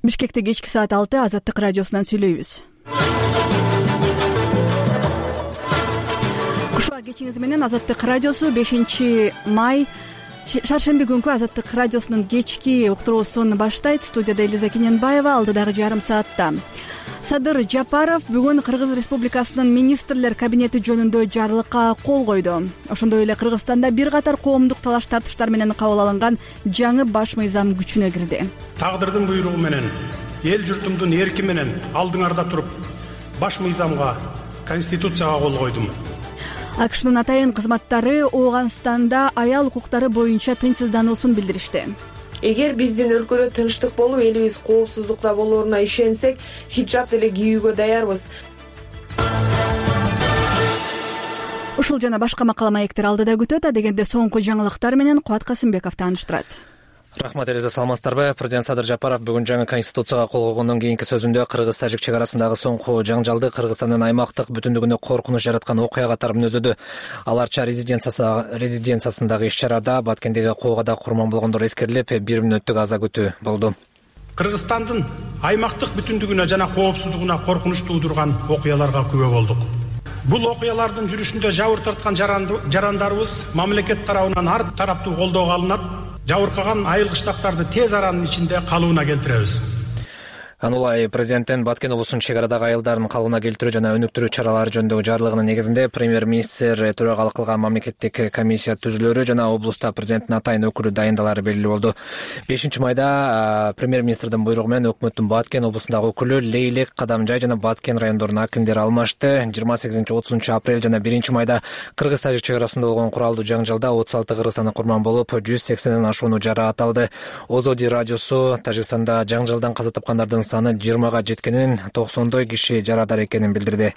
Бишкекте кечки саат 6 Азаттык радиосунан сүйлөйбүз. Кушуа кечиңиз менен Азаттык радиосу 5-май шаршемби күнкү Азаттык радиосунун кечки уктуруусун баштайт. Студияда Элиза Кененбаева, алдыдагы жарым саатта Садыр Жапаров бүгүн Кыргыз Республикасынын министрлер кабинети жөнүндө жарлыкка кол койду. Ошондой эле Кыргызстанда бир катар коомдук талаш-тартыштар менен кабыл алынган жаңы баш мыйзам күчүнө кирди. Тагдырдын буйругу менен, эл журтумдун эрки менен алдыңарда туруп, баш мыйзамга, Конституцияга кол койдум. АКШнын атайын кызматтары Ооганстанда аял укуктары боюнча тынчсыздануусун билдиришти. Эгер биздин өлкөдө тынчтык болуп, элибиз коопсуздукта болоруна ишенсек, хиджаб деле кийүүгө даярбыз. Ушул жана башка макала маектер алдыда күтөт. Дегенде соңку жаңылыктар менен Кубат Касымбеков тааныштырат. Рахмат Элиза, саламатсыздарбы? Президент Садыр Жапаров бүгүн жаңы Конституцияга кол койгондон кийинки сөзүндө Кыргыз-Тажик чек арасындагы соңку жаңжалды Кыргызстандын аймактык бүтүндүгүнө коркунуч жараткан окуя катары мүнөздөдү. Аларча резиденциясындагы иш-чарада Баткендеги коогада курман болгондор эскерилип, 1 мүнөттүк аза күтүү болду. Кыргызстандын аймактык бүтүндүгүнө жана коопсуздугуна коркунуч туудурган окуяларга күбө болдук. Бул окуялардын жүрүшүндө жабыр тарткан жарандарыбыз мамлекет тарабынан ар тараптуу колдоого алынат. Жабыркаган айыл кыштактарды тез аранын ичинде калыбына келтиребиз. Анулай президенттин Баткен облусунун чек арадагы айылдарын калыбына келтирүү жана өнүктүрүү чаралары жөнүндөгү жарлыгынын негизинде премьер-министр төрагалык кылган мамлекеттик комиссия түзүлөрү жана облуста президенттин атайын өкүлү дайындалары белгилүү болду. 5-майда премьер-министрдин буйругу менен өкмөттүн Баткен облусундагы өкүлү Лейлек, Кадамжай жана Баткен райондорунун акимдери алмашты. 28-30 апрель жана 1-майда Кыргыз-Тажик чек арасында болгон куралдуу жаңжалда 36 кыргызстандык курман болуп, 180ден ашууну жарааталды. Озоди радиосу Тажикстанда жаңжалдан каза тапкандардын саны 20-га жеткенин, 90 киши жарадар экенин билдирди.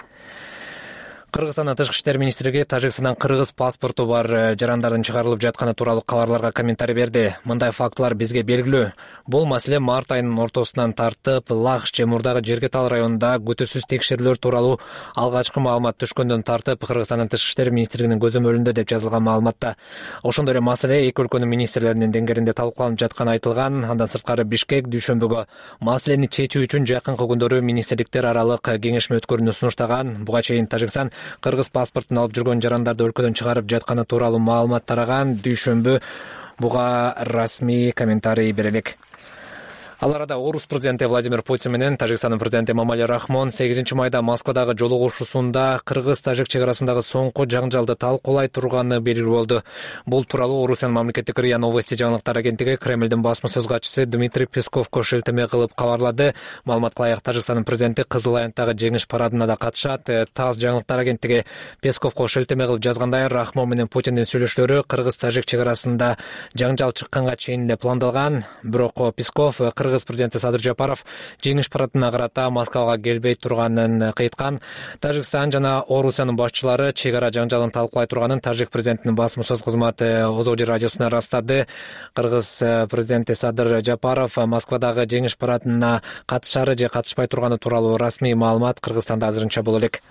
Кыргызстандын тышкы иштер министрлиги Тажикстандан кыргыз паспорту бар жарандардын чыгарылып жатканы тууралуу кабарларга комментарий берди. Мындай фактылар бизге белгилүү. Бул маселе март айынын ортосунан тартып, Лахш же Мурдагы Жергетал районунда күтүүсүз текшерүүлөр тууралуу алгачкы маалымат түшкөндөн тартып Кыргызстандын тышкы иштер министрлигинин көзөмөлүндө деп жазылган маалыматта. Ошондой эле маселе эки өлкөнүн министрлеринин деңгээлинде талкууланып жатканы айтылган. Андан сырткары Бишкек дүйшөмбүгө маселени чечүү үчүн жакынкы күндөрү министрликтер аралык кеңешме өткөрүүнү сунуштаган. Буга чейин Тажикстан кыргыз паспортун алып жүргөн жарандарды өлкөдөн чыгарып жатканы тууралуу маалымат тараган. Дүйшөмбү буга расмий комментарий бере элек. Ал арада Орус президенти Владимир Путин менен Тажикстандын президенти Эмомали Рахмон 8-майда Москвадагы жолугушуусунда Кыргыз-Тажик чек арасындагы соңку жаңжалды талкуулай турганы белгилүү болду. Бул тууралуу Орусиянын мамлекеттик РИА Новости жаңылыктар агенттиги Кремлдин басма сөз катчысы Дмитрий Песковго шилтеме кылып кабарлады. Маалыматка ылайык Тажикстандын президенти Кызыл Аянттагы жеңиш парадына да катышат. ТАСС жаңылыктар агенттиги Песковго шилтеме кылып жазгандай, Рахмон менен Путиндин сүйлөшүүлөрү Кыргыз-Тажик чек арасында жаңжал чыкканга чейин эле пландалган. Бирок Песков Кыргыз президенти Садыр Жапаров жеңиш парадына карата Москвага келбей турганын кыйткан. Тажикстан жана Орусиянын башчылары чек ара жаңжалын талкуулай турганын Тажик президентинин басма сөз кызматы Озоди радиосуна ырастады. Кыргыз президенти Садыр Жапаров Москвадагы жеңиш парадына катышары же катышпай турганы тууралуу расмий маалымат Кыргызстанда азырынча боло элек.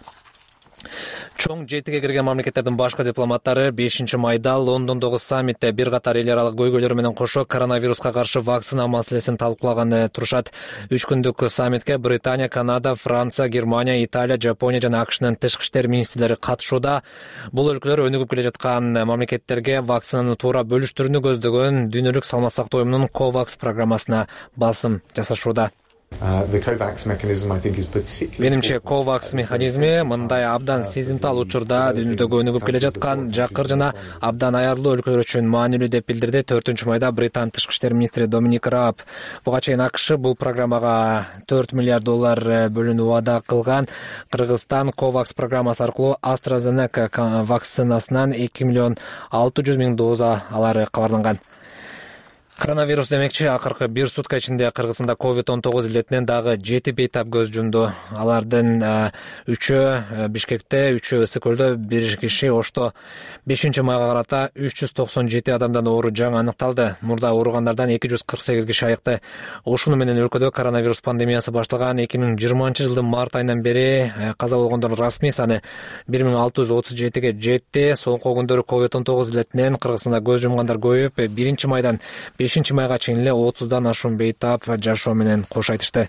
Чоң жетиге кирген мамлекеттердин башкы дипломаттары 5-майда Лондондогу саммитте бир катар эл аралык көйгөйлөр менен кошо коронавируска каршы вакцина маселесин талкуулаганы турушат. 3 күндүк саммитке Британия, Канада, Франция, Германия, Италия, Жапония жана АКШнын тышкы иштер министрлери катышууда. Бул өлкөлөр өнүгүп келе жаткан мамлекеттерге вакцинаны туура бөлүштүрүүнү көздөгөн дүйнөлүк саламат сактоо уюмунун COVAX программасына басым жасашууда. Менимче COVAX механизми мындай абдан сезимтал учурда дүйнөдөгү өнүгүп келе жаткан жакыр жана абдан аярлуу өлкөлөр үчүн маанилүү деп билдирди 4-майда Британ тышкы иштер министри Доминик Рааб. Буга чейин АКШ бул программага $4 миллиард бөлүүнү убада кылган. Кыргызстан COVAX программасы аркылуу AstraZeneca вакцинасынан 2,6 миллион доза алары кабарланган. Коронавирус демекчи, акыркы 1 сутка ичинде Кыргызстанда COVID-19 илетинен дагы 7 бейтап көз жумду. Алардын 3-ü Бишкекте, 3-ü Ысык көлдө, 1 киши Ошто. 5-майга карата 397 адамдан оору жаңы аныкталды. Мурда ооругандардан 248 киши айыкты. Ушуну менен өлкөдө коронавирус пандемиясы башталган 2020-жылдын март айынан бери каза болгондордун расмий саны 1637ге жетти. Соңку күндөрү COVID-19 илетинен Кыргызстанда көз жумгандар көбөйүп, 1-майдан 5-майга чейин эле 30дан ашуун бейтап жашоо менен кош айтышты.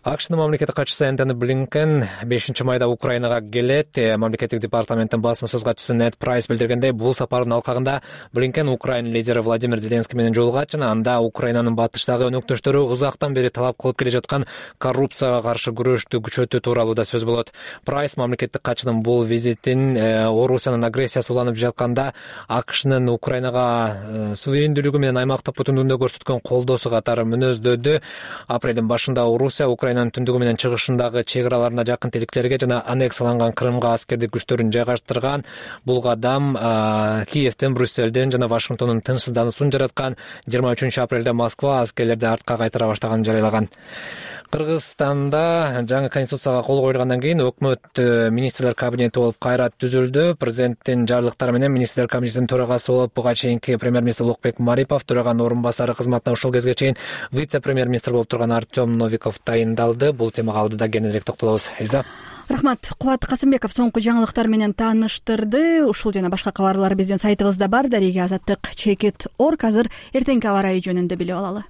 АКШнын мамлекеттик катчысы Энтони Блинкен 5-майда Украинага келет. Мамлекеттик департаменттин басма сөз катчысы Нед Прайс билдиргендей, бул сапардын алкагында Блинкен Украина лидери Владимир Зеленский менен жолугат жана анда Украинанын батыштагы өнөктөштөрү узактан бери талап кылып келе жаткан коррупцияга каршы күрөштү күчөтүү тууралуу да сөз болот. Прайс мамлекеттик катчынын бул визитин Орусиянын агрессиясы уланып жатканда АКШнын Украинага суверендүүлүгү менен аймактык бүтүндүгүндө көрсөткөн колдоосу катары мүнөздөдү. Апрелдин башында Украинанын түндүгү менен чыгышындагы чек араларына жакын тиликтерге жана аннексияланган Крымга аскердик күчтөрүн жайгаштырган. Бул кадам Киевден, Брюссельден жана Вашингтондун тынчсыздануусун жараткан. 23 апрелде Москва аскерлерди артка кайтара баштаганын жарыялаган. Кыргызстанда жаңы конституцияга кол коюлгандан кийин өкмөт министрлер кабинети болуп кайра түзүлдү. Президенттин жарлыктары менен министрлер кабинетинин төрагасы болуп буга чейинки премьер-министр Улукбек Марипов, төраганын орун басары кызматына ушул кезге чейин вице-премьер-министр болуп турган Артем Новиков тайындалды. Бул темага алдыда кененирээк токтолобуз. Эльза. Рахмат. Кубат Касымбеков соңку жаңылыктар менен тааныштырды. Ушул жана башка кабарлар биздин сайтыбызда бар. Дареги Азаттык _. Азыр эртеңки аба ырайы жөнүндө билип алалы.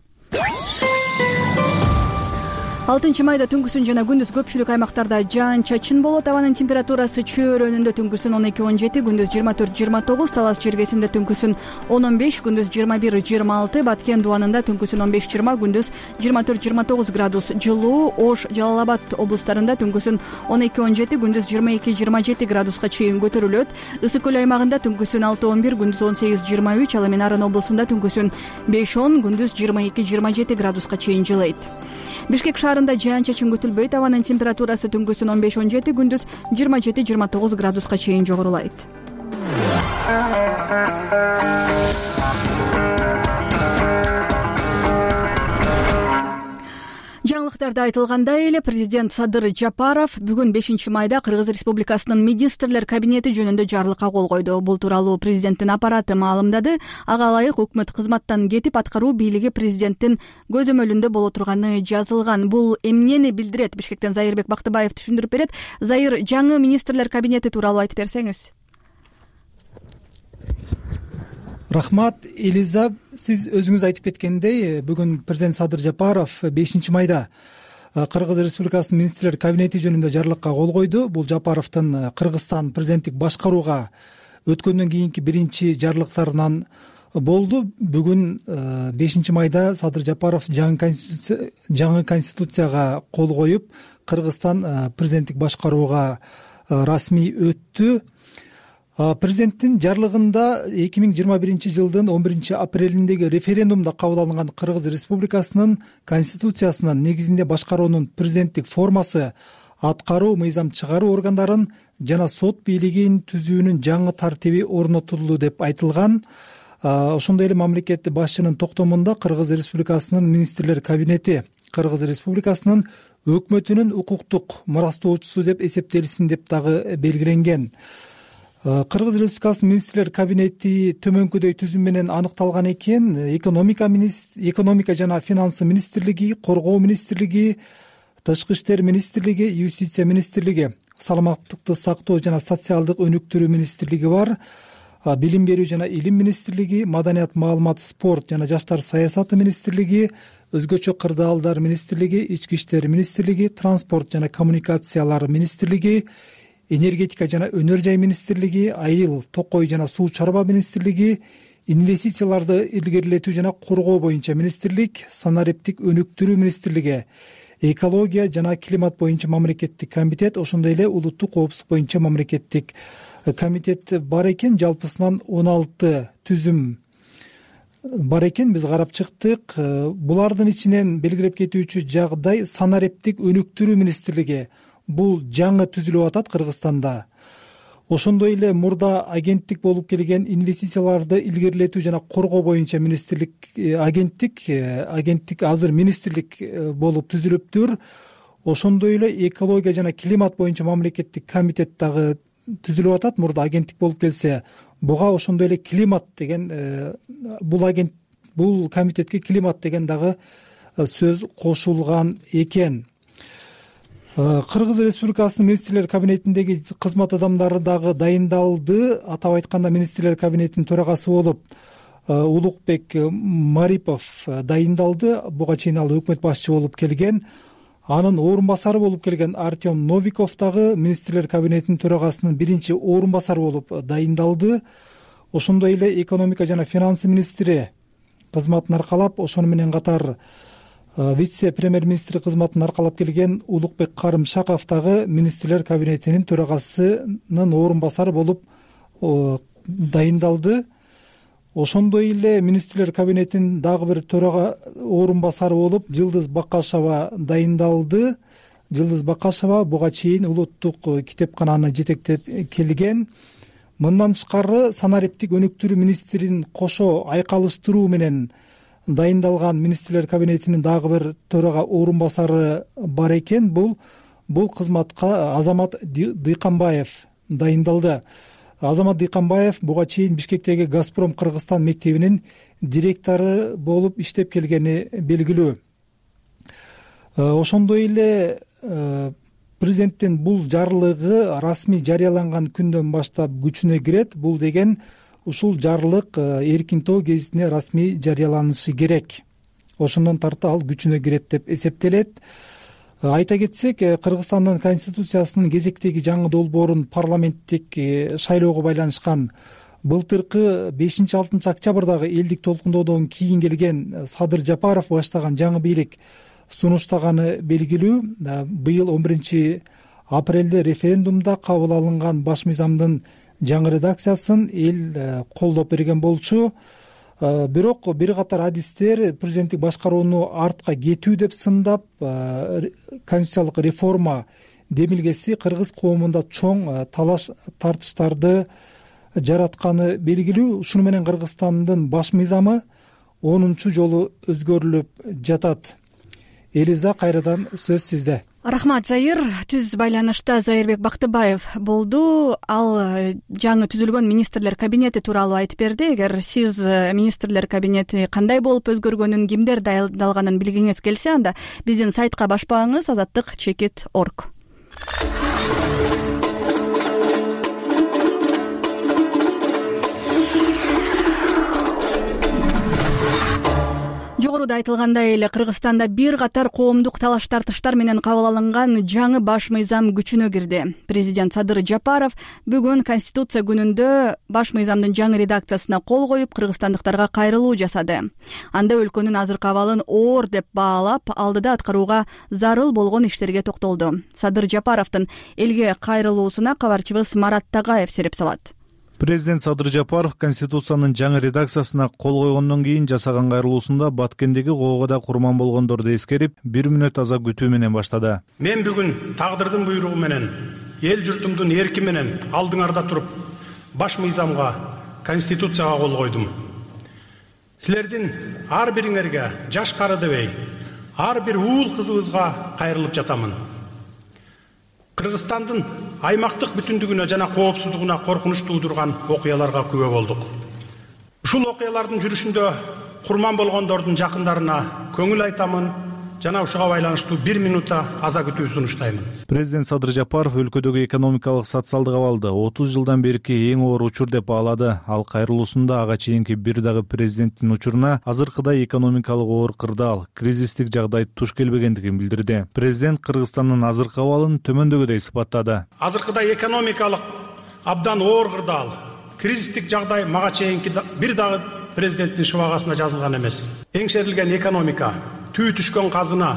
6-майда түнкүсүн жана күндүз көпчүлүк аймактарда жаан-чачын болот. Абанын температурасы чөйрөнүндө түнкүсүн 12-17, күндүз 24-29, Талас жергесинде түнкүсүн 10-15, күндүз 21-26, Баткен дубанында түнкүсүн 15-20, күндүз 24-29 градус жылуу, Ош, Жалал Абад облустарында түнкүсүн 12-17, күндүз 22-27 градуска чейин көтөрүлөт. Ысык көл аймагында түнкүсүн 6-11, күндүз 18-23, ал эми Нарын облусунда түнкүсүн 5-10, күндүз 22-27 градуска чейин жылыйт. Бишкек шаарында жаан-чачын күтүлбөйт. Абанын температурасы түнкүсүн 15-17, күндүз 27-29 градуска чейин жогорулайт. Жаңылыктарда айтылгандай эле, президент Садыр Жапаров бүгүн 5-майда Кыргыз Республикасынын министрлер кабинети жөнүндө жарлыкка кол койду. Бул тууралуу президенттин аппараты маалымдады. Ага ылайык өкмөт кызматтан кетип, аткаруу бийлиги президенттин көзөмөлүндө боло турганы жазылган. Бул эмнени билдирет? Бишкектен Зайырбек Бактыбаев түшүндүрүп берет. Зайыр, жаңы министрлер кабинети тууралуу айтып берсеңиз. Рахмат, Элиза. Сиз өзүңүз айтып кеткендей, бүгүн президент Садыр Жапаров 5-майда Кыргыз Республикасынын министрлер кабинети жөнүндө жарлыкка кол койду. Бул Жапаровдун Кыргызстан президенттик башкарууга өткөндөн кийинки биринчи жарлыктарынан болду. Бүгүн 5-майда Садыр Жапаров жаңы конституцияга кол коюп, Кыргызстан президенттик башкарууга расмий өттү. Президенттин жарлыгында 2021 жылдын 11 апрелиндеги референдумда кабыл алынган Кыргыз Республикасынын конституциясынын негизинде башкаруунун президенттик формасы, аткаруу, мыйзам чыгаруу органдарын жана сот бийлигин түзүүнүн жаңы тартиби орнотулду деп айтылган. Ошондой эле мамлекет башчынын токтомунда Кыргыз Республикасынын министрлер кабинети Кыргыз Республикасынын өкмөтүнүн укуктук мурастоочусу деп эсептелсин деп дагы белгиленген. Кыргыз Республикасынын министрлер кабинети төмөнкүдөй түзүм менен аныкталган экен. Экономика жана финансы министрлиги, коргоо министрлиги, тышкы иштер министрлиги, юстиция министрлиги, саламаттыкты сактоо жана социалдык өнүктүрүү министрлиги бар. Билим берүү жана илим министрлиги, маданият, маалымат, спорт жана жаштар саясаты министрлиги, өзгөчө кырдаалдар министрлиги, ички иштер министрлиги, транспорт жана коммуникациялар министрлиги, энергетика жана өнөр жай министрлиги, айыл, токой жана суу чарба министрлиги, инвестицияларды илгерилетүү жана коргоо боюнча министрлик, санариптик өнүктүрүү министрлиги, экология жана климат боюнча мамлекеттик комитет, ошондой эле улуттук коопсуздук боюнча мамлекеттик комитет бар экен. Жалпысынан 16 түзүм бар экен. Биз карап чыктык. Булардын ичинен белгилеп кетүүчү жагдай санариптик өнүктүрүү министрлиги. Бул жаңы түзүлүп атат Кыргызстанда. Ошондой эле мурда агенттик болуп келген инвестицияларды илгерилетүү жана коргоо боюнча министрлик агенттик азыр министрлик болуп түзүлүптүр. Ошондой эле экология жана климат боюнча мамлекеттик комитет дагы түзүлүп атат. Мурда агенттик болуп келсе, буга ошондой эле климат деген бул комитетке климат деген дагы сөз кошулган экен. Кыргыз Республикасынын министрлер кабинетиндеги кызмат адамдары дагы дайындалды. Атап айтканда, министрлер кабинетинин төрагасы болуп Улукбек Марипов дайындалды. Буга чейин ал өкмөт башчы болуп келген. Анын орун басары болуп келген Артем Новиков дагы министрлер кабинетинин төрагасынын биринчи орун басары болуп дайындалды. Ошондой эле экономика жана финансы министри кызматын аркалап, ошону менен катар вице-премьер-министр кызматын аркалап келген Улукбек Карымшаков дагы министрлер кабинетинин төрагасынын орун басары болуп дайындалды. Ошондой эле министрлер кабинетинин дагы бир төрага орун басары болуп Жылдыз Бакашева дайындалды. Жылдыз Бакашева буга чейин улуттук китепкананы жетектеп келген. Мындан тышкары санариптик өнүктүрүү министрин кошо айкалыштыруу менен дайындалган министрлер кабинетинин дагы бир төрага орун басары бар экен. Бул кызматка Азамат Дыйканбаев дайындалды. Азамат Дыйканбаев буга чейин Бишкектеги Газпром Кыргызстан мектебинин директору болуп иштеп келгени белгилүү. Ошондой эле президенттин бул жарлыгы расмий жарыяланган күндөн баштап күчүнө кирет. Бул деген ушул жарлык Эркин тоо гезитине расмий жарыяланышы керек. Ошондон тарта ал күчүнө кирет деп эсептелет. Айта кетсек, Кыргызстандын конституциясынын кезектеги жаңы долбоорун парламенттик шайлоого байланышкан былтыркы 5-6 октябрдагы элдик толкундоодон кийин келген Садыр Жапаров баштаган жаңы бийлик сунуштаганы белгилүү. Быйыл 11 апрелде референдумда кабыл алынган баш мыйзамдын жаңы редакциясын эл колдоп берген болчу. Бирок бир катар адистер президенттик башкарууну артка кетүү деп сындап, конституциялык реформа демилгеси кыргыз коомунда чоң талаш тартыштарды жаратканы белгилүү. Ушуну менен Кыргызстандын баш мыйзамы 10 жолу өзгөрүлүп жатат. Элиза, кайрадан сөз сизде. Рахмат, Заир. Түз байланышта Заирбек Бактыбаев болду. Ал жаңы түзүлгөн министрлер кабинети тууралуу айтып берди. Эгер сиз министрлер кабинети кандай болуп өзгөргөнүн, кимдер дайындалганын билгиңиз келсе, анда биздин сайтка башпаңыз azatlyk.org. Жогоруда айтылгандай эле Кыргызстанда бир катар коомдук талаш тартыштар менен кабыл алынган жаңы баш мыйзам күчүнө кирди. Президент Садыр Жапаров бүгүн Конституция күнүндө баш мыйзамдын жаңы редакциясына кол коюп, кыргызстандыктарга кайрылуу жасады. Анда өлкөнүн азыркы абалын оор деп баалап, алдыда аткарууга зарыл болгон иштерге токтолду. Садыр Жапаровдун элге кайрылуусуна кабарчыбыз Марат Тагаев сереп салат. Президент Садыр Жапаров Конституциянын жаңы редакциясына кол койгондон кийин жасаган кайрылуусунда Баткендеги коого да курман болгондорду эскерип, 1 мүнөт аза күтүү менен баштады. Мен бүгүн тагдырдын буйругу менен, эл журтумдун эрки менен алдыңарда туруп, баш мыйзамга, Конституцияга кол койдум. Силердин ар бириңерге, жаш кары дебей, ар бир уул кызыбызга кайрылып жатамын. Кыргызстандын аймактык бүтүндүгүнө жана коопсуздугуна коркунуч туудурган окуяларга күбө болдук. Ушул окуялардын жүрүшүндө курман болгондордун жакындарына көңүл айтамын жана ушуга байланыштуу 1 минутта аза күтүү сунуштаймын. Президент Садыр Жапаров өлкөдөгү экономикалык социалдык абалды 30 жылдан берки эң оор учур деп баалады. Ал кайрылуусунда ага чейинки бир дагы президенттин учуруна азыркыдай экономикалык оор кырдаал, кризистик жагдай туш келбегендигин билдирди. Президент Кыргызстандын азыркы абалын төмөндөгүдөй сыпаттады. Азыркыдай экономикалык абдан оор кырдаал, кризистик жагдай мага чейинки бир дагы президенттин шыбагасына жазылган эмес. Эңшерилген экономика, түү түшкөн казына,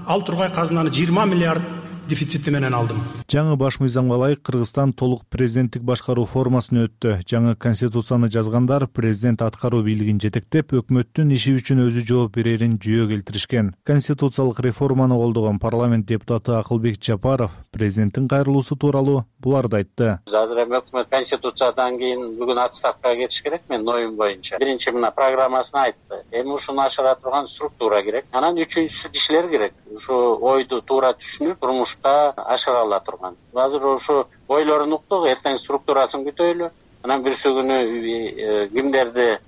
ал тургай казынаны 20 миллиард дефицити менен алдым. Жаңы баш мыйзамга ылайык Кыргызстан толук президенттик башкаруу формасына өттү. Жаңы конституцияны жазгандар президент аткаруу бийлигин жетектеп, өкмөттүн иши үчүн өзү жооп берерин жүйө келтиришкен. Конституциялык реформаны колдогон парламент депутаты Акылбек Жапаров президенттин кайрылуусу тууралуу буларды айтты. Азыр эми өкмөт конституциядан кийин бүгүн отставкага кетиш керек, мен оюм боюнча. Биринчи мына программасына айтты. Эми ушуну ашыра турган структура керек. Анан үчүнчүсү кишилер керек. Ушу ойду туура түшүнүп, турмушта ашыра ала турган. Азыр ушу ойлорун уктук, эртең структурасын күтөйлү. Анан бирсү күнү кимдерди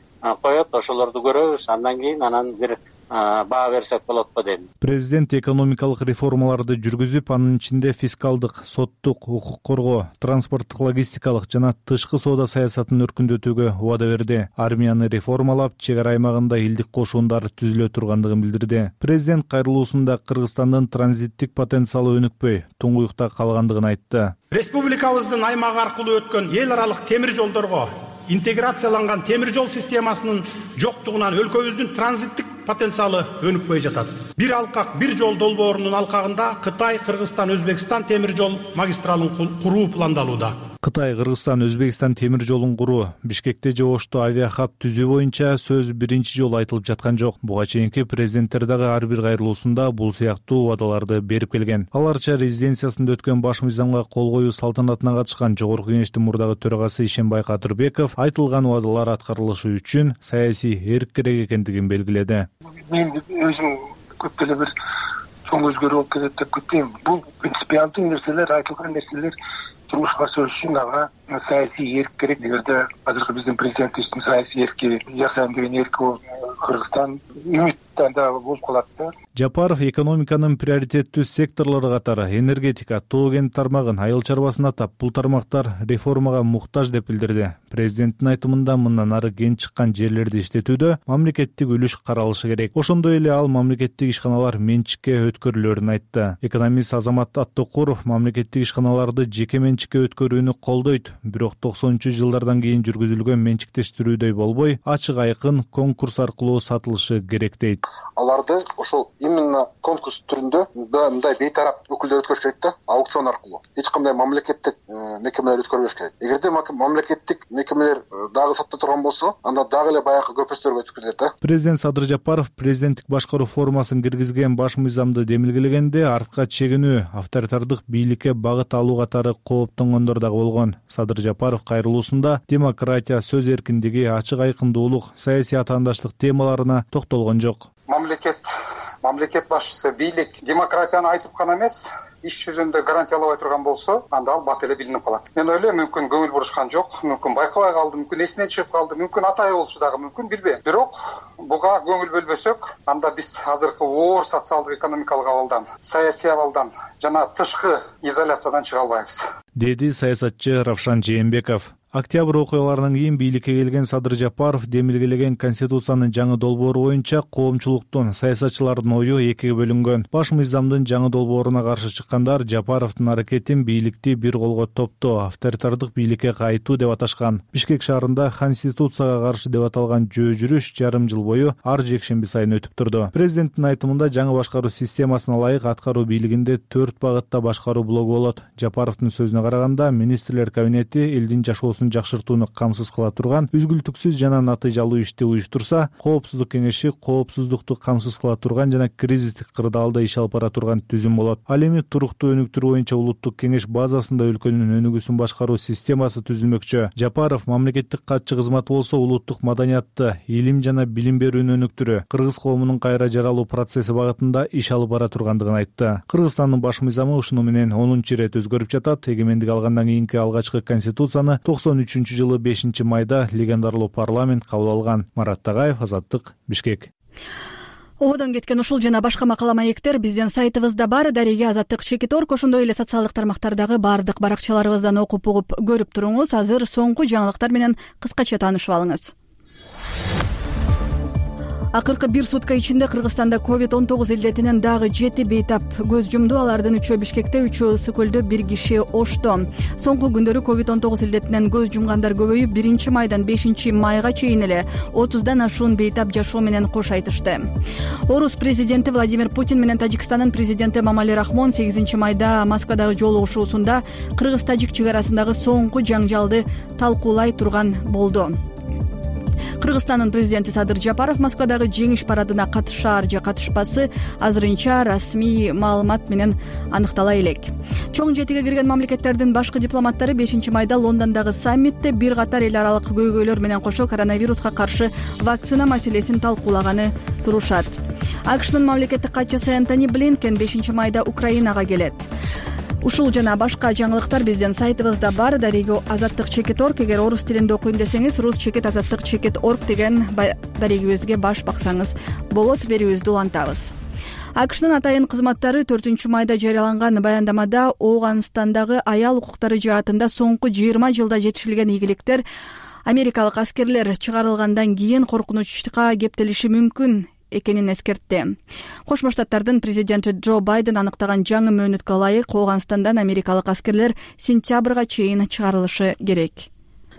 коет, ошолорду көрөбүз. Андан кийин бир баа берсек болотпу дейм. Президент экономикалык реформаларды жүргүзүп, анын ичинде фискалдык, соттук, укук коргоо, транспорттук, логистикалык жана тышкы соода саясатын өркүндөтүүгө убада берди. Армияны реформалап, чек ара аймагында илдик кошундар түзүлө тургандыгын билдирди. Президент кайрылуусунда Кыргызстандын транзиттик потенциалы өнүкпөй, туңгуюкта калгандыгын айтты. Республикабыздын аймагы аркылуу өткөн эл аралык темир жолдорго интеграцияланган темир жол системасынын жоктугунан өлкөбүздүн транзиттик потенциалы өнүкпөй жатат. Бир алкак, бир жол долбоорунун алкагында Кытай, Кыргызстан, Өзбекстан темир жол магистралын куруу пландалууда. Кытай, Кыргызстан, Өзбекстан темир жолун куруу, Бишкекте же Ошто авиахаб түзүү боюнча сөз биринчи жолу айтылып жаткан жок. Буга чейинки президенттер дагы ар бир кайрылуусунда бул сыяктуу убадаларды берип келген. Аларча резиденциясында өткөн баш мыйзамга кол коюу салтанатына катышкан Жогорку Кеңештин мурдагы төрагасы Ишенбай Кадырбеков айтылган убадалар аткарылышы үчүн саясий эрк керек экендигин белгиледи. Мен өзүм көп деле бир чоң өзгөрүү болуп кетет деп күтпөйм. Бул принципиалдуу нерселер, айтылган нерселер турмушка ашырыш үчүн ага саясий эрк керек. Эгерде азыркы биздин президентибиздин саясий эрки жашайм деген эрки Кыргызстан үмүттөн да болуп калат да. Жапаров экономиканын приоритеттүү секторлору катары энергетика, тоо кен тармагын, айыл чарбасын атап, бул тармактар реформага муктаж деп билдирди. Президенттин айтымында мындан ары кен чыккан жерлерди иштетүүдө мамлекеттик үлүш каралышы керек. Ошондой эле ал мамлекеттик ишканалар менчикке өткөрүлөрүн айтты. Экономист Азамат Аттокуров мамлекеттик ишканаларды жеке менчикке өткөрүүнү колдойт, бирок 90-жылдардан кийин жүргүзүлгөн менчиктештирүүдөй болбой, ачык айкын конкурс аркылуу сатылышы керек дейт. Аларды ошол именно конкурс түрүндө мындай бейтарап өкүлдөр өткөрүш керек да, аукцион аркылуу. Эч кандай мамлекеттик мекемелер өткөрбөш керек. Эгерде мамлекеттик мекемелер дагы сатта турган болсо, анда дагы эле баягы көпөстөргө өтүп кетет да. Президент Садыр Жапаров президенттик башкаруу формасын киргизген баш мыйзамды демилгелегенде артка чегинүү, авторитардык бийликке багыт алуу катары кооптонгондор дагы болгон. Садыр Жапаров кайрылуусунда демократия, сөз эркиндиги, ачык айкындуулук, саясий атаандаштык темаларына токтолгон жок. Мамлекет башчысы, бийлик демократияны айтып гана эмес, иш жүзүндө гарантиялабай турган болсо, анда ал бат эле билинип калат. Мен ойлойм, мүмкүн көңүл бурушкан жок, мүмкүн байкабай калды, мүмкүн эсинен чыгып калды, мүмкүн атайы болчу дагы, мүмкүн билбейм. Бирок буга көңүл бөлбөсөк, анда биз азыркы оор социалдык экономикалык абалдан, саясий абалдан жана тышкы изоляциядан чыга албайбыз, деди саясатчы Равшан Жээнбеков. Октябрь окуяларынан кийин бийликке келген Садыр Жапаров демилгелеген Конституциянын жаңы долбоору боюнча коомчулуктун, саясатчылардын ою экиге бөлүнгөн. Баш мыйзамдын жаңы долбооруна каршы чыккандар Жапаровдун аракетин бийликти бир колго топтоо, авторитардык бийликке кайтуу деп аташкан. Бишкек шаарында Конституцияга каршы деп аталган жөө жүрүш жарым жыл бою ар жекшемби сайын өтүп турду. Президенттин айтымында жаңы башкаруу системасына ылайык аткаруу бийлигинде 4 багытта башкаруу блогу болот. Жапаровдун сөзүнө караганда, министрлер кабинети элдин жашоосун жакшыртууну камсыз кыла турган үзгүлтүксүз жана натыйжалуу ишти уюштурса, коопсуздук кеңеши коопсуздукту камсыз кыла турган жана кризистик кырдаалда иш алып бара турган түзүм болот. Ал эми туруктуу өнүктүрүү боюнча улуттук кеңеш базасында өлкөнүн өнүгүүсүн башкаруу системасы түзүлмөкчү. Жапаров мамлекеттик катчы кызматы болсо улуттук маданиятты, илим жана билим берүүнү өнүктүрүү, кыргыз коомунун кайра жаралуу процесси багытында иш алып бара тургандыгын айтты. Кыргызстандын баш мыйзамы ушуну менен 10-чу ирет өзгөрүп жатат. Эгемендик алгандан кийинки алгачкы конституцияны 93-жылы 5-майда легендарлуу парламент кабыл алган. Марат Тагаев, Азаттык, Бишкек. Ободон кеткен ушул жана башка макала маектер биздин сайтыбызда бар. Дареге Азаттык Чекиторг, ошондой эле социалдык тармактардагы баардык баракчаларыбыздан окуп угуп көрүп туруңуз. Азыр соңку жаңылыктар менен кыскача таанышып алыңыз. Акыркы бир сутка ичинде Кыргызстанда COVID-19 илдетинен дагы 7 бейтап көз жумду. Алардын 3-өө Бишкекте, 3-өө Ысык көлдө, 1 киши Ошто. Соңку күндөрү COVID-19 илдетинен көз жумгандар көбөйүп, 1-майдан 5-майга чейин эле 30дан ашуун бейтап жашоо менен кош айтышты. Орус президенти Владимир Путин менен Тажикстандын президенти Эмомали Рахмон 8-майда Москвадагы жолугушуусунда кыргыз-тажик чек арасындагы соңку жаңжалды талкуулай турган болду. Кыргызстандын президенти Садыр Жапаров Москвадагы жеңиш парадына катышаар же катышпасы азырынча расмий маалымат менен аныктала элек. Чоң жетиге кирген мамлекеттердин башкы дипломаттары 5-майда Лондондогу саммитте бир катар эл аралык көйгөйлөр менен кошо коронавируска каршы вакцина маселесин талкуулаганы турушат. АКШнын мамлекеттик катчысы Энтони Блинкен 5-майда Украинага келет. Ушул жана башка жаңылыктар биздин сайтыбызда бар. Дареги azattik.org. Эгер орус тилинде окуйм десеңиз rus.azattik.org деген дарегибизге баш баксаңыз болот. Берүүбүздү улантабыз. АКШнын атайын кызматтары 4-майда жарыяланган баяндамада Ооганстандагы аял укуктары жаатында соңку 20 жылда жетишилген ийгиликтер америкалык аскерлер чыгарылгандан кийин коркунучка кептелиши мүмкүн экенин эскертти. Кошмо Штаттардын президенти Джо Байден аныктаган жаңы мөөнөткө ылайык Ооганстандан америкалык аскерлер сентябрга чейин чыгарылышы керек.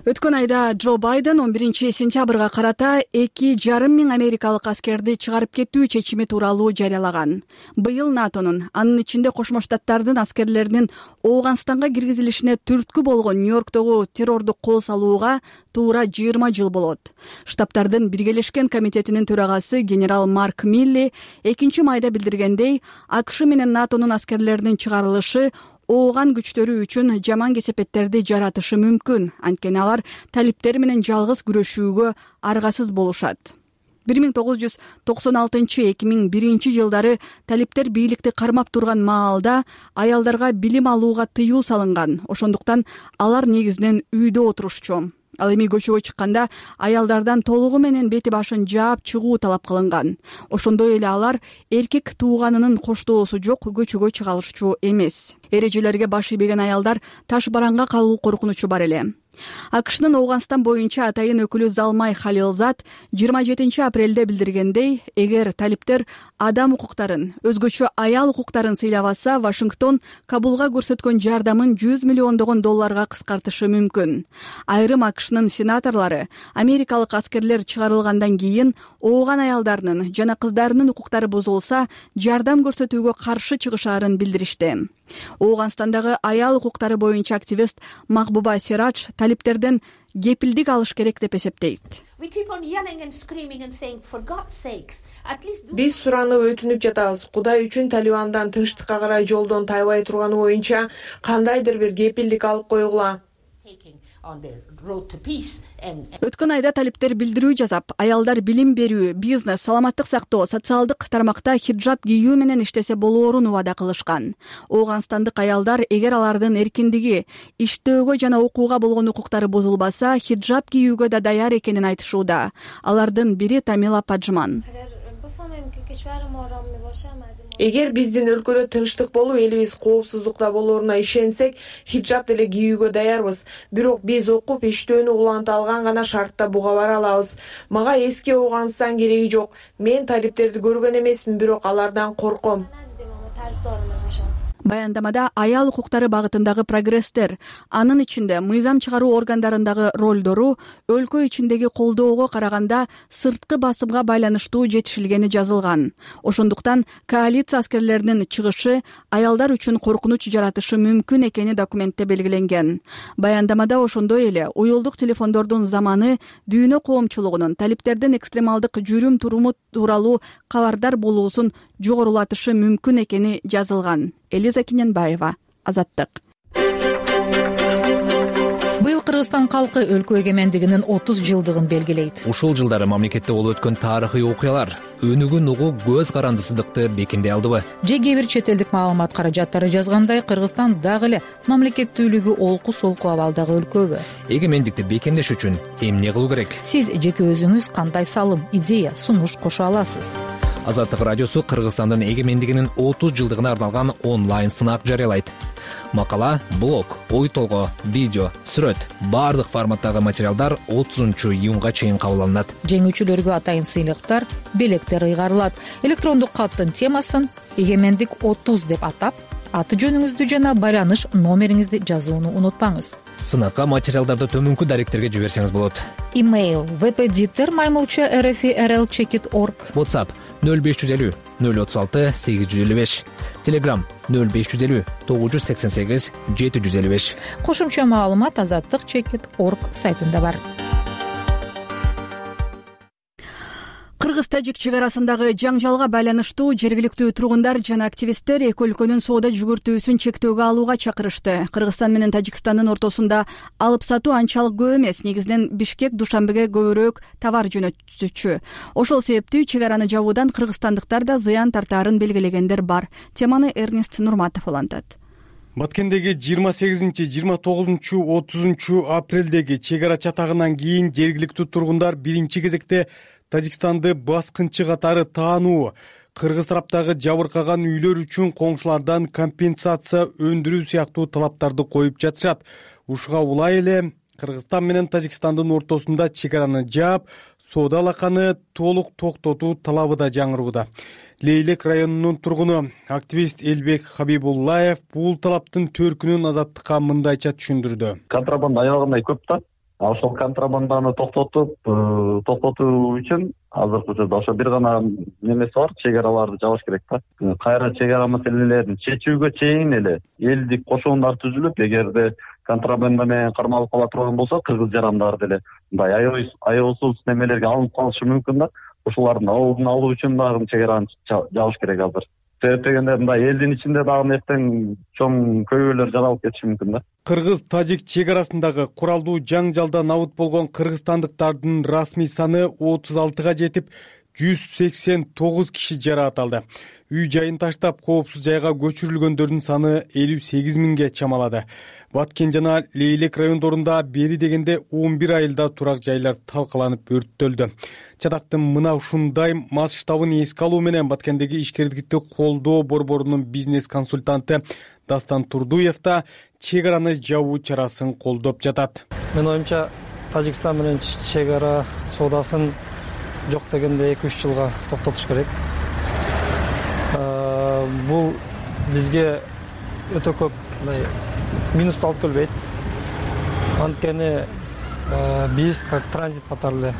Өткөн айда Джо Байден 11-сентябрга карата 2,5 миң америкалык аскерди чыгарып кетүү чечими тууралуу жарыялаган. Быйыл НАТОнун, анын ичинде Кошмо Штаттардын аскерлеринин Ооганстанга киргизилишине түрткү болгон Нью-Йорктогу террордук кол салууга туура 20 жыл болот. Штабтардын Биргелешкен комитетинин төрагасы генерал Марк Милли 2-майда билдиргендей, АКШ менен НАТОнун аскерлеринин чыгарылышы Ооган күчтөрү үчүн жаман кесепеттерди жаратышы мүмкүн. Анткени алар талиптер менен жалгыз күрөшүүгө аргасыз болушат. 1996-2001 жылдары талиптер бийликти кармап турган маалда аялдарга билим алууга тыюу салынган. Ошондуктан алар негизинен үйдө отурушчу. Ал эми көчөгө чыкканда аялдардан толугу менен бети башын жаап чыгуу талап кылынган. Ошондой эле алар эркек тууганынын коштоосу жок көчөгө чыга алышчу эмес. Эрежелерге баш ийбеген аялдар таш бараңга калуу коркунучу бар эле. АКШнын Ооганстан боюнча атайын өкүлү Залмай Халилзад 27 апрелде билдиргендей, эгер талиптер адам укуктарын, өзгөчө аял укуктарын сыйлабаса, Вашингтон Кабулга көрсөткөн жардамын $100 миллион кыскартышы мүмкүн. Айрым АКШнын сенаторлору америкалык аскерлер чыгарылгандан кийин ооган аялдарынын жана кыздарынын укуктары бузулса, жардам көрсөтүүгө каршы чыгышаарын билдиришти. Ооганстандагы аял укуктары боюнча активист Махбуба Сирадж талиптерден кепилдик алыш керек деп эсептейт. Биз суранып өтүнүп жатабыз. Кудай үчүн Талибандан тынчтыкка карай жолдон тайбай турганы боюнча кандайдыр бир кепилдик алып койгула. Өткөн айда талиптер билдирүү жасап, аялдар билим берүү, бизнес, саламаттык сактоо, социалдык тармакта хиджаб кийүү менен иштесе болоорун убада кылышкан. Ооганстандык аялдар эгер алардын эркиндиги, иштөөгө жана окууга болгон укуктары бузулбаса, хиджаб кийүүгө да даяр экенин айтышууда. Алардын бири Тамила Паджман. Эгер биздин өлкөдө тынчтык болуп, элибиз коопсуздукта болооруна ишенсек, хиджаб деле кийүүгө даярбыз. Бирок биз окуп, иштөөнү уланта алган гана шартта буга бара алабыз. Мага эски Ооганстан кереги жок. Мен талиптерди көргөн эмесмин, бирок алардан корком. Баяндамада аял укуктары багытындагы прогресстер, анын ичинде мыйзам чыгаруу органдарындагы ролдору өлкө ичиндеги колдоого караганда сырткы басымга байланыштуу жетишилгени жазылган. Ошондуктан коалиция аскерлеринин чыгышы аялдар үчүн коркунуч жаратышы мүмкүн экени документте белгиленген. Баяндамада ошондой эле уюлдук телефондордун заманы дүйнө коомчулугунун талиптердин экстремалдык жүрүм туруму тууралуу кабардар болуусун жогорулатышы мүмкүн экени жазылган. Элиза Киненбаева, Азаттык. Быйыл Кыргызстан калкы өлкө эгемендигинин 30 жылдыгын белгилейт. Ушул жылдары мамлекетте болуп өткөн тарыхый окуялар өнүгүн угуу көз карандысыздыкты бекемдей алдыбы? Же кээ бир чет элдик маалымат каражаттары жазгандай, Кыргызстан дагы эле мамлекеттүүлүгү олку-солку абалдагы өлкөбү? Эгемендикти бекемдеш үчүн эмне кылуу керек? Сиз жеке өзүңүз кандай салым, идея, сунуш кошо аласыз? Азаттык радиосу Кыргызстандын эгемендигинин 30 жылдыгына арналган онлайн сынак жарыялайт. Макала, блог, ой толгоо, видео, сүрөт, баардык форматтагы материалдар 30-июнга чейин кабыл алынат. Жеңүүчүлөргө атайын сыйлыктар, белектер ыйгарылат. Электрондук каттын темасын эгемендик 30 деп атап, аты жөнүңүздү жана байланыш номериңизди жазууну унутпаңыз. Сынакка материалдарды төмөнкү даректерге жиберсеңиз болот. Имейл vpditer@rl.org. WhatsApp 0550 036 855. Telegram 0550 988 755. Кошумча маалымат azattik.org сайтында бар. Кыргыз-тажик чек арасындагы жаңжалга байланыштуу жергиликтүү тургундар жана активисттер эки өлкөнүн соода жүгүртүүсүн чектөөгө алууга чакырышты. Кыргызстан менен Тажикстандын ортосунда алып сатуу анчалык көп эмес. Негизинен Бишкек Душанбеге көбүрөөк товар жөнөтчү. Ошол сепептүү чек араны жабуудан кыргызстандыктар да зыян тартаарын белгилегендер бар. Теманы Эрнест Нурматов улантат. Баткендеги 28-29-30 апрелдеги чек ара чатагынан кийин жергиликтүү тургундар биринчи кезекте Тажикстанды баскынчы катары таануу, кыргыз тараптагы жабыркаган үйлөр үчүн коңшулардан компенсация өндүрүү сыяктуу талаптарды коюп жатышат. Ушуга улай эле Кыргызстан менен Тажикстандын ортосунда чек араны жаап, соода алаканы толук токтотуу талабы да жаңырууда. Лейлек районунун тургуну активист Элбек Хабибуллаев бул талаптын төркүнүн Азаттыкка мындайча түшүндүрдү. Контрабанда аябагандай көп да. Ошол контрабанданы токтотуу үчүн азыркы учурда ошо бир гана немеси бар, чек араларды жабыш керек да. Кайра чек ара маселелерин чечүүгө чейин эле элдик кошоондар түзүлүп, эгерде контрабанда менен кармалып кала турган болсо, кыргыз жарандар деле мындай аеосуз немелерге алынып калышы мүмкүн да. Ошолардын алдын алуу үчүн дагы чек араны жабыш керек азыр. Себеп дегенде мындай элдин ичинде дагы эртең чоң көйгөйлөр жаралып кетиши мүмкүн да. Кыргыз-тажик чек арасындагы куралдуу жаңжалда набыт болгон кыргызстандыктардын расмий саны 36га жетип, 189 киши жараат алды. Үй жайын таштап, коопсуз жайга көчүрүлгөндөрдүн саны 58 миңге чамалады. Баткен жана Лейлек райондорунда бери дегенде 11 айылда турак жайлар талкаланып өрттөлдү. Чатактын мына ушундай масштабын эске алуу менен Баткендеги ишкерликти колдоо борборунун бизнес консультанты Дастан Турдуев да чек араны жабуу чарасын колдоп жатат. Менин оюмча, Тажикстан менен чек ара соодасын жок дегенде 2-3 жылга токтотуш керек. Бул бизге өтө көп минусту алып келбейт. Анткени биз как транзит катары эле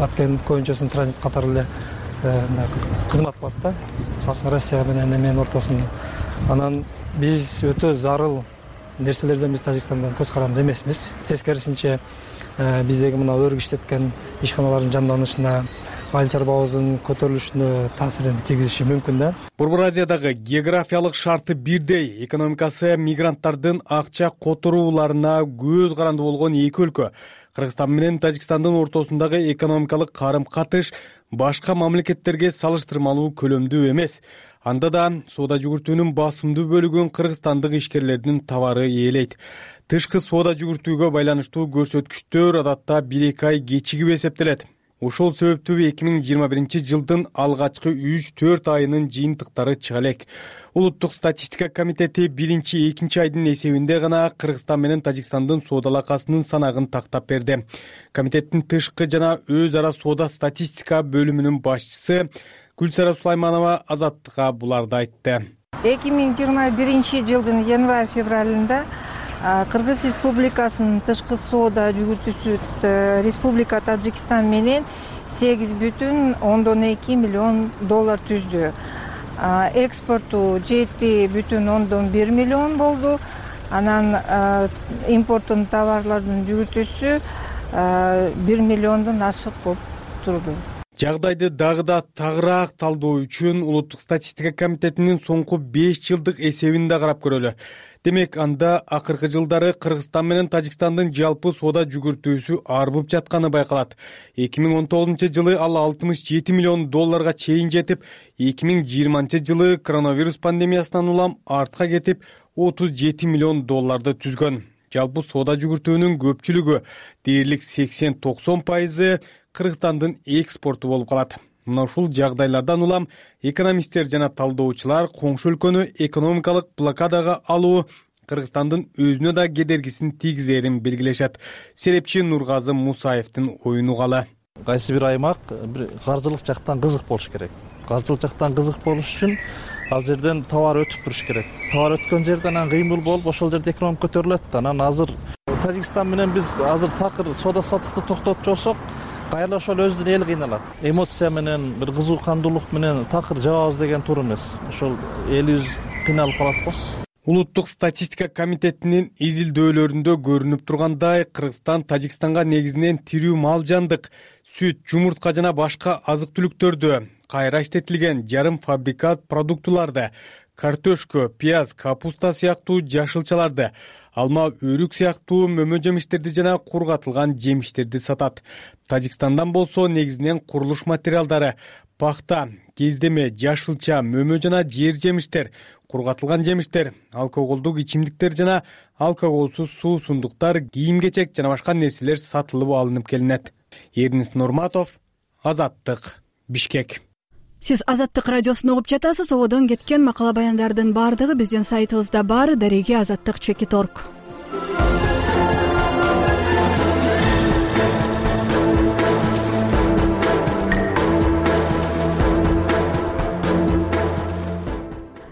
Баткен көйүнчөсүнүн транзит катары эле кызмат кылат да. Россия менен Немен ортосунда. Анан биз өтө зарыл нерселерден биз Тажикстандан көз каранды эмесмиз. Тескерисинче биздеги мына өргү иштеткен ишканалардын жанданышына, айыл чарбабыздын көтөрүлүшүнө таасирин тийгизиши мүмкүн да. Борбор Азиядагы географиялык шарты бирдей, экономикасы мигранттардын акча которууларына көз каранды болгон эки өлкө. Кыргызстан менен Тажикстандын ортосундагы экономикалык карым-катыш башка мамлекеттерге салыштырмалуу көлөмдүү эмес. Анда да соода жүгүртүүнүн басымдуу бөлүгүн кыргызстандык ишкерлердин товары ээлейт. Тышкы соода жүгүртүүгө байланыштуу көрсөткүчтөр адатта 1-2 ай кечигип эсептелет. Ошол себептүү 2021 жылдын алгачкы 3-4 айынын жыйынтыктары чыга элек. Улуттук статистика комитети 1-2 айдын эсебинде гана Кыргызстан менен Тажикстандын соода алакасынын санагын тактап берди. Комитеттин тышкы жана өз ара соода статистика бөлүмүнүн башчысы Гүлсара Сулайманова Азаттыкка буларды айтты. 2021 жылдын январь-февралында Кыргыз Республикасынын тышкы соода жүгүртүүсү Республика Тажикстан менен $8,2 миллион түздү. Экспорту $7,1 миллион болду. Анан импорттун товарлардын жүгүртүүсү 1 миллиондон ашык болуп турду. Жагдайды дагы да тагыраак талдоо үчүн Улуттук статистика комитетинин соңку 5 жылдык эсебин да карап көрөлү. Демек, анда акыркы жылдары Кыргызстан менен Тажикстандын жалпы соода жүгүртүүсү арбып жатканы байкалат. 2019 жылы ал $67 миллион чейин жетип, 2020 жылы коронавирус пандемиясынан улам артка кетип, $37 миллион түзгөн. Жалпы соода жүгүртүүнүн көпчүлүгү, дээрлик 80-90% Кыргызстандын экспорту болуп калат. Мына ушул жагдайлардан улам экономисттер жана талдоочулар коңшу өлкөнү экономикалык блокадага алуу Кыргызстандын өзүнө да кедергисин тийгизерин белгилешет. Серепчи Нургазы Мусаевдин оюн угалы. Кайсы бир аймак каржылык жактан кызык болуш керек. Каржылык жактан кызык болуш үчүн ал жерден товар өтүп туруш керек. Товар өткөн жерден анан кыймыл болуп, ошол жерде экономика көтөрүлөт. Анан азыр Тажикстан менен биз азыр такыр соода саттыкты токтотуп жолсок, кайра ошол өздүн эл кыйналат. Эмоция менен, бир кызуу кандуулук менен такыр жабабыз деген туура эмес. Ошол элибиз кыйналып калат го. Улуттук статистика комитетинин изилдөөлөрүндө көрүнүп тургандай, Кыргызстан Тажикстанга негизинен тирүү мал жандык, сүт, жумуртка жана башка азык-түлүктөрдү, кайра иштетилген жарым фабрикат продуктуларды, картошка, пияз, капуста сыяктуу жашылчаларды, алма, өрүк сыяктуу мөмө жемиштерди жана кургатылган жемиштерди сатат. Тажикстандан болсо негизинен курулуш материалдары, пахта, кездеме, жашылча, мөмө жана жер жемиштер, кургатылган жемиштер, алкоголдук ичимдиктер жана алкоголсуз суусундуктар, кийим-кечек жана башка нерселер сатылып алынып келинет. Эрнис Нурматов, Азаттык, Бишкек. Сиз Азаттык радиосун угуп жатасыз. Ободон кеткен макала баяндардын баардыгы биздин сайтыбызда бар. Дареги Азаттык /org.